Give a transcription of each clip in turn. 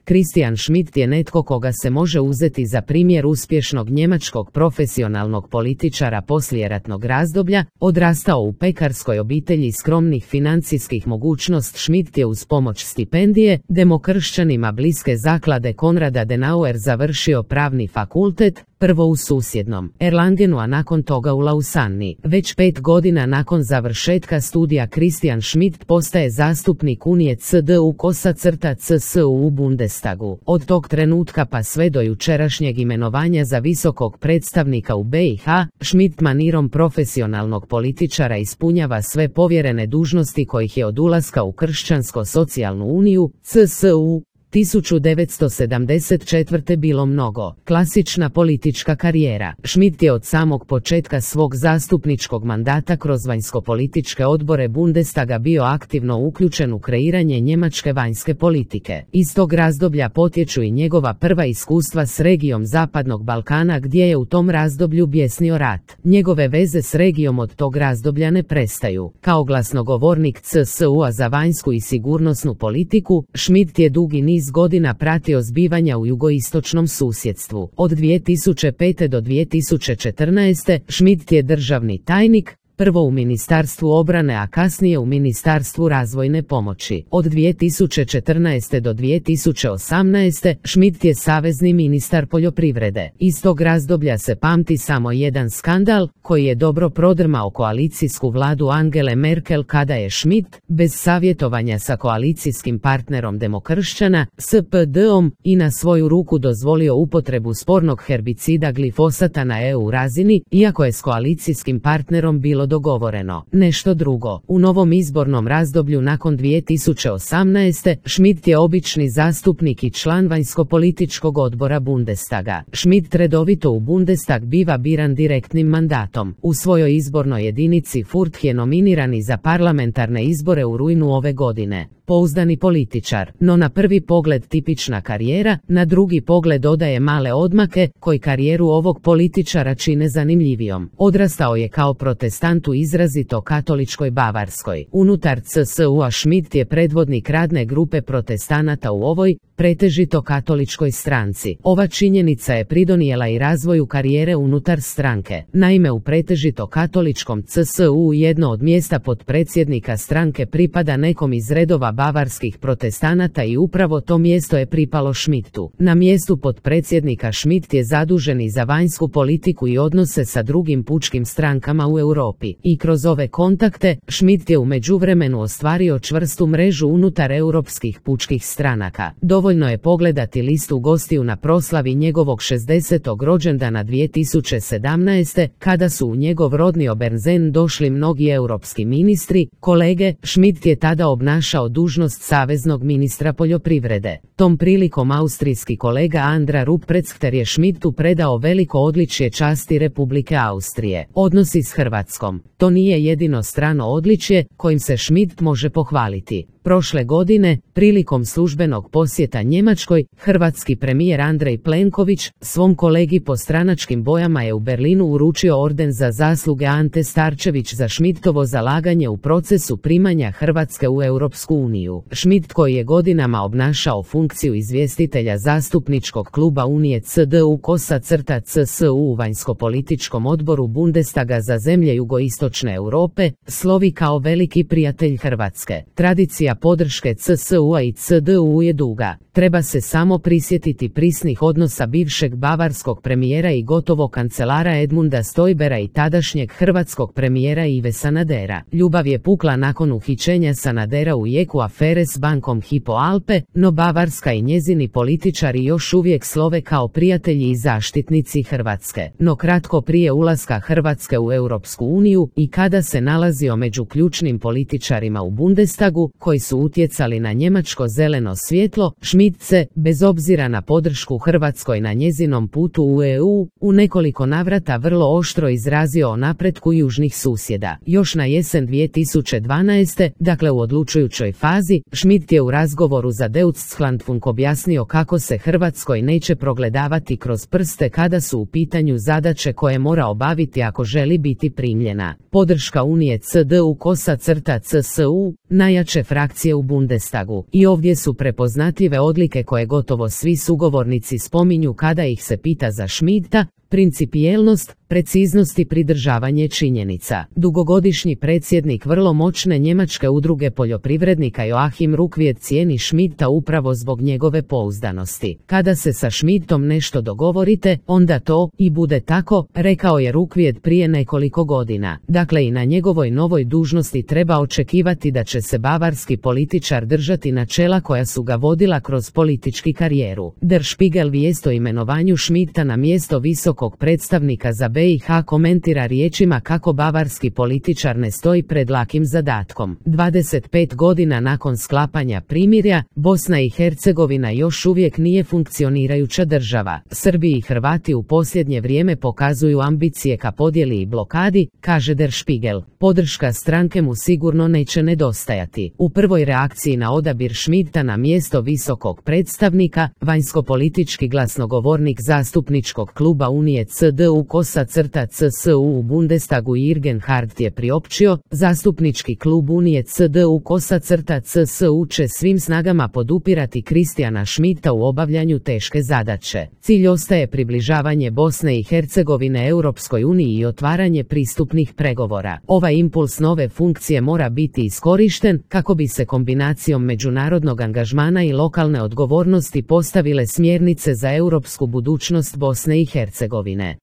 Christian Schmidt je netko koga se može uzeti za primjer uspješnog njemačkog profesionalnog političara poslijeratnog razdoblja. Odrastao u pekarskoj obitelji skromnih financijskih mogućnosti, Schmidt je uz pomoć stipendije demokršćanima bliske zaklade Konrada Denauer završio pravni fakultet, prvo u susjednom Erlangenu, a nakon toga u Lausanni. Već 5 godina nakon završetka studija Christian Schmidt postaje zastupnik Unije CDU-CSU u Bundestagu. Od tog trenutka pa sve do jučerašnjeg imenovanja za visokog predstavnika u BiH, Schmidt manirom profesionalnog političara ispunjava sve povjerene dužnosti kojih je od ulaska u Kršćansko-socijalnu uniju, CSU, 1974. bilo mnogo. Klasična politička karijera. Schmidt je od samog početka svog zastupničkog mandata kroz vanjsko-političke odbore Bundestaga bio aktivno uključen u kreiranje njemačke vanjske politike. Iz tog razdoblja potječu i njegova prva iskustva s regijom Zapadnog Balkana, gdje je u tom razdoblju bjesnio rat. Njegove veze s regijom od tog razdoblja ne prestaju. Kao glasnogovornik CSU-a za vanjsku i sigurnosnu politiku, Schmidt je dugi niz godina pratio zbivanja u jugoistočnom susjedstvu. Od 2005. do 2014. Schmidt je državni tajnik, prvo u Ministarstvu obrane, a kasnije u Ministarstvu razvojne pomoći. Od 2014. do 2018. Schmidt je savezni ministar poljoprivrede. Iz tog razdoblja se pamti samo jedan skandal, koji je dobro prodrmao koalicijsku vladu Angele Merkel, kada je Schmidt, bez savjetovanja sa koalicijskim partnerom demokršćana, SPD-om, i na svoju ruku dozvolio upotrebu spornog herbicida glifosata na EU razini, iako je s koalicijskim partnerom bilo dogovoreno nešto drugo. U novom izbornom razdoblju nakon 2018. Schmidt je obični zastupnik i član vanjsko-političkog odbora Bundestaga. Schmidt redovito u Bundestag biva biran direktnim mandatom. U svojoj izbornoj jedinici Furt je nominirani za parlamentarne izbore u rujnu ove godine. Pouzdani političar, no na prvi pogled tipična karijera, na drugi pogled dodaje male odmake, koji karijeru ovog političara čine zanimljivijom. Odrastao je kao protestant u izrazito katoličkoj Bavarskoj. Unutar CSU-a Schmidt je predvodnik radne grupe protestanata u ovoj, pretežito katoličkoj stranci. Ova činjenica je pridonijela i razvoju karijere unutar stranke. Naime, u pretežito katoličkom CSU jedno od mjesta potpredsjednika stranke pripada nekom iz redova bavarskih protestanata i upravo to mjesto je pripalo Schmidtu. Na mjestu potpredsjednika Schmidt je zadužen i za vanjsku politiku i odnose sa drugim pučkim strankama u Europi. I kroz ove kontakte, Schmidt je u međuvremenu ostvario čvrstu mrežu unutar europskih pučkih stranaka. Dovoljno je pogledati listu gostiju na proslavi njegovog 60. rođendana 2017. kada su u njegov rodni Obernzen došli mnogi europski ministri, kolege. Schmidt je tada obnašao dužnost saveznog ministra poljoprivrede. Tom prilikom austrijski kolega Andra Rupprechter je Schmidtu predao veliko odličje časti Republike Austrije. Odnosi s Hrvatskom. To nije jedino strano odličje kojim se Schmidt može pohvaliti. Prošle godine, prilikom službenog posjeta Njemačkoj, hrvatski premijer Andrej Plenković svom kolegi po stranačkim bojama je u Berlinu uručio orden za zasluge Ante Starčević za Schmidtovo zalaganje u procesu primanja Hrvatske u Europsku uniju. Schmidt, koji je godinama obnašao funkciju izvjestitelja zastupničkog kluba Unije CDU-CSU u vanjsko-političkom odboru Bundestaga za zemlje jugoistočne Europe, slovi kao veliki prijatelj Hrvatske. Tradicija podrške CSU-a i CDU je duga. Treba se samo prisjetiti prisnih odnosa bivšeg bavarskog premijera i gotovo kancelara Edmunda Stojbera i tadašnjeg hrvatskog premijera Ive Sanadera. Ljubav je pukla nakon uhićenja Sanadera u jeku afere s bankom Hypo Alpe, no Bavarska i njezini političari još uvijek slove kao prijatelji i zaštitnici Hrvatske. No kratko prije ulaska Hrvatske u Europsku uniju i kada se nalazio među ključnim političarima u Bundestagu, koji su utjecali na njemačko zeleno svjetlo, Schmidt se, bez obzira na podršku Hrvatskoj na njezinom putu u EU, u nekoliko navrata vrlo oštro izrazio o napretku južnih susjeda. Još na jesen 2012. dakle u odlučujućoj fazi, Schmidt je u razgovoru za Deutschlandfunk objasnio kako se Hrvatskoj neće progledavati kroz prste kada su u pitanju zadaće koje mora obaviti ako želi biti primljena. Podrška Unije CDU-CSU, najjače frakcije reakcije u Bundestagu. I ovdje su prepoznatljive odlike koje gotovo svi sugovornici spominju kada ih se pita za Schmidta: principijelnost, preciznost i pridržavanje činjenica. Dugogodišnji predsjednik vrlo moćne njemačke udruge poljoprivrednika Joachim Ruckwied cijeni Schmidta upravo zbog njegove pouzdanosti. Kada se sa Schmidtom nešto dogovorite, onda to i bude tako, rekao je Ruckwied prije nekoliko godina. Dakle, i na njegovoj novoj dužnosti treba očekivati da će se bavarski političar držati načela koja su ga vodila kroz politički karijeru. Der Spiegel vijest o imenovanju Schmidta na mjesto visokog predstavnika za BiH komentira riječima kako bavarski političar ne stoji pred lakim zadatkom. 25 godina nakon sklapanja primirja, Bosna i Hercegovina još uvijek nije funkcionirajuća država. Srbi i Hrvati u posljednje vrijeme pokazuju ambicije ka podjeli i blokadi, kaže Der Spiegel. Podrška stranke mu sigurno neće nedostajati. U prvoj reakciji na odabir Schmidta na mjesto visokog predstavnika, vanjskopolitički glasnogovornik zastupničkog kluba Unije CDU-CSU u Bundestagu Jürgen Hart je priopćio: zastupnički klub Unije CDU-CSU će svim snagama podupirati Christiana Schmidta u obavljanju teške zadaće. Cilj ostaje približavanje Bosne i Hercegovine Europskoj uniji i otvaranje pristupnih pregovora. Ovaj impuls nove funkcije mora biti iskorišten kako bi se kombinacijom međunarodnog angažmana i lokalne odgovornosti postavile smjernice za europsku budućnost Bosne i Hercegovine.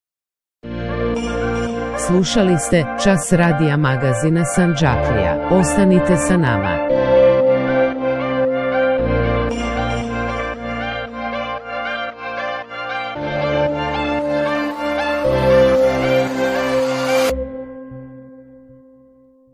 Slušali ste Čas radija magazina Sandžaklija. Ostanite sa nama.